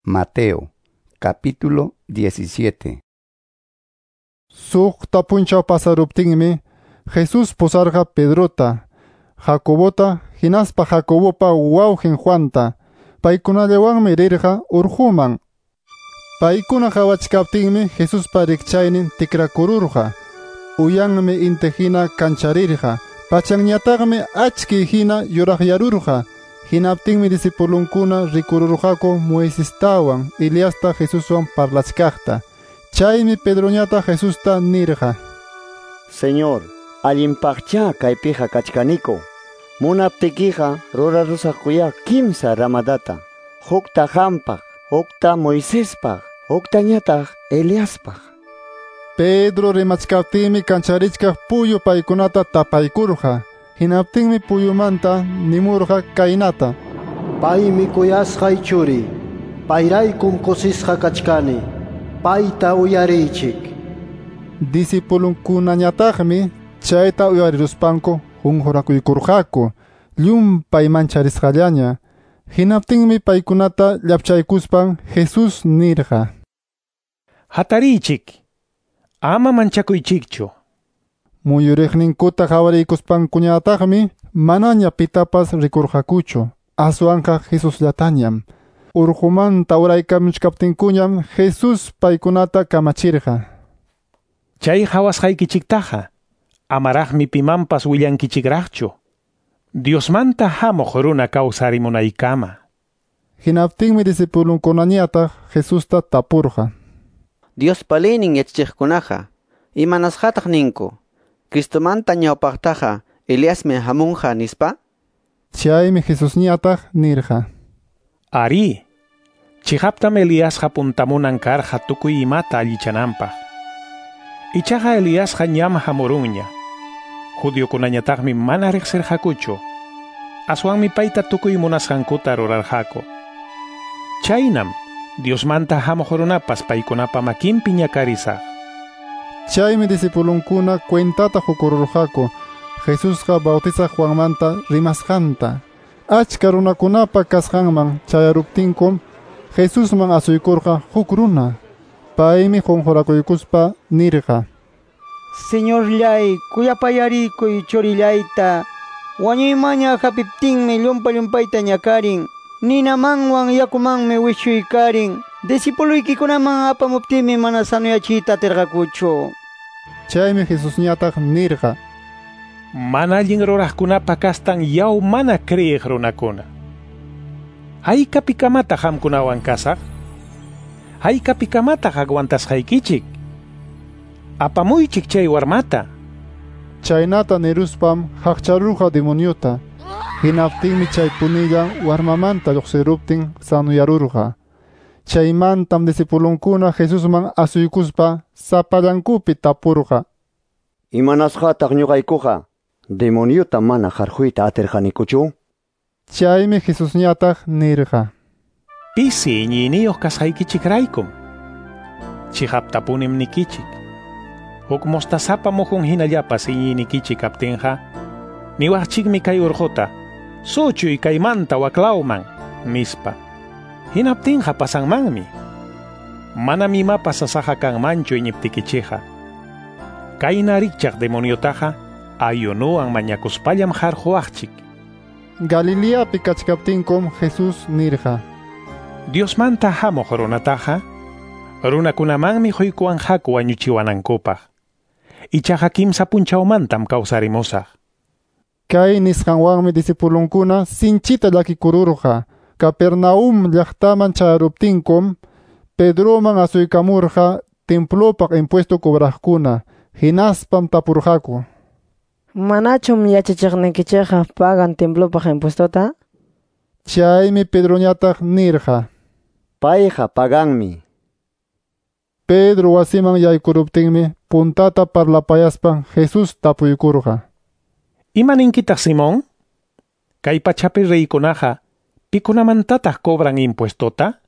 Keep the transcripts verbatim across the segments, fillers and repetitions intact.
Mateo, capítulo diecisiete. Suqta punchaw pasaruptinmi, Jesús pusarqa Pedrota, Jacobota, hinaspa Jacobopa wawqin Juanta, paykunallawanmi rirqa urquman. Paykuna qawachkaptinmi Jesuspa rikchaynin tikrakururqa, uyanmi inti hina kancharirqa, pachanñataqmi achki hina yuraqyarurqa. Hinaptinmi discipulunkuna rikururqaku Moisestawan Eliasta Jesuswan parlachkaqta. Chaymi Pedroñata Jesusta nirqa: Señor, allinpaqcha kaypiqa kachkaniku. Munaptikiqa rurarusaqkuya kimsa ramadata. Hukta qampaq, hukta Moisespaq, huktañataq Eliaspaq. Pedro rimachkaptinmi kancharichkaq puyu paykunata tapaykurqa. Hinaptinmi puyumanta nimurqa kaynata: Paymi kuyasqay churi, payraykum kusisqa kachkani, payta uyariychik. Discipulunkunañataqmi chayta uyariruspanku qunqurakuykurqaku, llumpay mancharisqallaña. Hinaptinmi paykunata llapchaykuspan Jesús nirqa: Hatariychik, ama manchakuychikchu. Muyuriqninkuta qawariykuspankuñataqmi manaña pitapas rikurqakuchu, aswanqa Jesusllatañam. Urqumanta uraykamuchkaptinkuñam Jesús paykunata kamachirqa: Chay qawasqaykichiktaqa amaraqmi pimanpas willankichikraqchu, Diosmanta hamuq runa kawsarimunaykama. Hinaptinmi discipulunkunañataq Jesusta tapurqa: Diospa leynin yachachiqkunaqa imanasqataq ninku Cristomanta ñawpaqtaqa Eliasmi hamunqa nispa? Chaymi Jesusñataq nirqa: Ari, chiqaptam Eliasqa puntamunan karqa tukuy imata allichananpaq. Ichaqa Eliasqa ñam hamurunña. Judiokunañataqmi mana riqsirqakuchu. Aswanmi payta tukuy munasqankuta rurarqaku. Chaynam Diosmanta hamuq runapas paykunapa makinpi ñakarisaq. Chaymi discipulunkuna cuentata qukururqaku Jesusqa bautizaq Juanmanta rimasqanta. Achka runakunapa kasqanman chayaruptinkum Jesusman asuykurqa huk runa. Paymi qunqurakuykuspa nirqa: Señorllay, kuyapayarikuy churillayta. Wañuymaña hapiptinmi llumpa llumpayta ñakarin. Ninamanwan yakumanmi wichuykarin. Discipuluykikunaman apamuptinmi mana sanuyachiyta atirqakuchu. Chaymi Jesusñataq nirqa: Mana allin ruraqkunapa kastan yaw mana kriyiq runakuna. Haykapikamataq qamkunawan kasaq? Haykapikamataq aguantasqaykichik? Apamuychik chay warmata. Chaynata niruspam haqcharurqa demoniota. Hinaptinmi chay punilla warmamanta lluqsiruptin sanuyarurqa. Chaymantam discipulunkuna Jesusman asuykuspa sapallankupi tapurqa: Imanasqataq ñuqaykuqa demoniota mana qarquyta atirqanikuchu? Chaymi Jesusñataq nirqa: Pisi iñiyniyuq kasqaykichikraykum. Chiqaptapunim nikichik, huk mostazapa mujun hinallapas iñiynikichik kaptinqa, niwaqchikmi kay urquta, suchuy kaymanta waklawman, nispa. Hinaptinqa pasanmanmi. Manam imapas sasaqa kanmanchu iñiptikichikqa. Kayna rikchaq demoniotaqa ayunuwan mañakuspallam qarquwaqchik. Galileapi kachkaptinkum Jesús nirqa: Diosmanta hamuq runataqa runakunamanmi quykuwanqaku wañuchiwanankupaq. Ichaqa kimsa punchawmantam kawsarimusaq. Kay nisqanwanmi discipulunkuna sinchita llakikururqa. Capernaum llaqtaman chayaruptinkum Pedroman asuykamurqa templopaq impuesto cobraqkuna. Hinaspam tapurqaku: Manachum yachachiqnikichikqa pagan templopaq impuestota? Chaymi Pedroñataq nirqa: Payqa paganmi. Pedro wasiman yaykuruptinmi puntata parlapayaspan Jesús tapuykurqa: Imaninkitaq, Simón? Kay pachapi reykunaqa pikunamantataq cobran impuestota?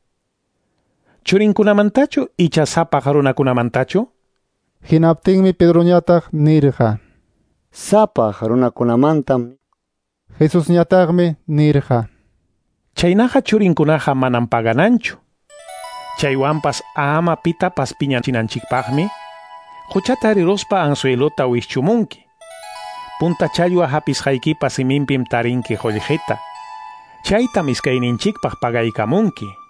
Churinkunamantachu icha sapaq runakunamantachu? Hinaptinmi Pedroñataq nirqa: Sapaq runakunamantam. Jesusñataqmi nirqa: Chaynaqa churinkunaqa manam pagananchu. Chaywanpas ama pitapas piñachinanchikpaqmi quchata riruspa anzuelota wischumunki. Punta challwa hapisqaykipa siminpim tarinki qullqita. Chaytam iskayninchikpaq pagaykamunki.